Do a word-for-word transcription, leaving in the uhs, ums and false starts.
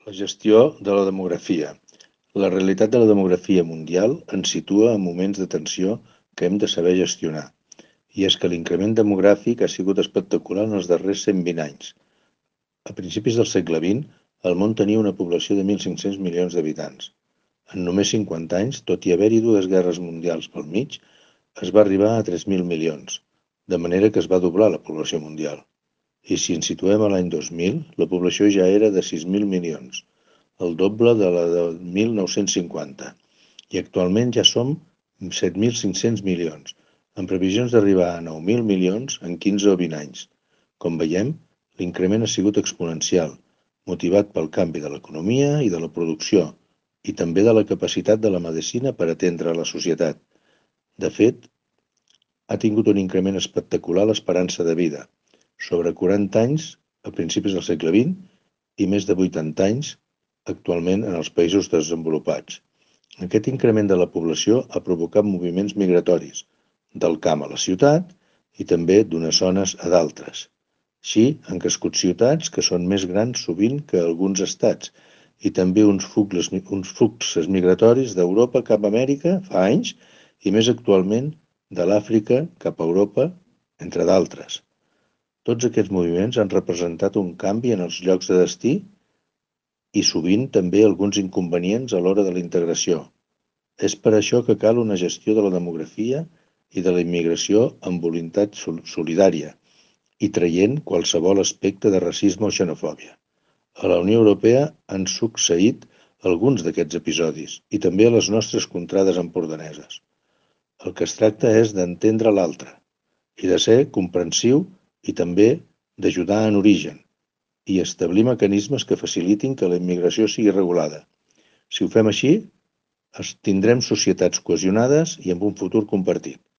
La gestió de la demografia. La realitat de la demografia mundial ens situa en moments de tensió que hem de saber gestionar. I és que l'increment demogràfic ha sigut espectacular en els darrers cent vint anys. A principis del segle vint, el món tenia una població de mil cinc-cents milions d'habitants. En només cinquanta anys, tot i haver-hi dues guerres mundials pel mig, es va arribar a tres mil milions, de manera que es va doblar la població mundial. I si ens situem a l'any dos mil, la població ja era de sis mil milions, el doble de la de mil nou-cents cinquanta. I actualment ja som set mil cinc-cents milions, amb previsions d'arribar a nou mil milions en quinze o vint anys. Com veiem, l'increment ha sigut exponencial, motivat pel canvi de l'economia i de la producció, i també de la capacitat de la medicina per atendre la societat. De fet, ha tingut un increment espectacular l'esperança de vida, sobre quaranta anys a principis del segle vint i més de vuitanta anys actualment en els països desenvolupats. Aquest increment de la població ha provocat moviments migratoris, del camp a la ciutat i també d'unes zones a d'altres. Així, han crescut ciutats que són més grans sovint que alguns estats i també uns fluxes, uns fluxes migratoris d'Europa cap a Amèrica fa anys i més actualment de l'Àfrica cap a Europa, entre d'altres. Tots aquests moviments han representat un canvi en els llocs de destí i sovint també alguns inconvenients a l'hora de la integració. És per això que cal una gestió de la demografia i de la immigració amb voluntat solidària i traient qualsevol aspecte de racisme o xenofòbia. A la Unió Europea han succeït alguns d'aquests episodis i també a les nostres contrades empordaneses. El que es tracta és d'entendre l'altre i de ser comprensiu i també d'ajudar en origen i establir mecanismes que facilitin que la immigració sigui regulada. Si ho fem així, tindrem societats cohesionades i amb un futur compartit.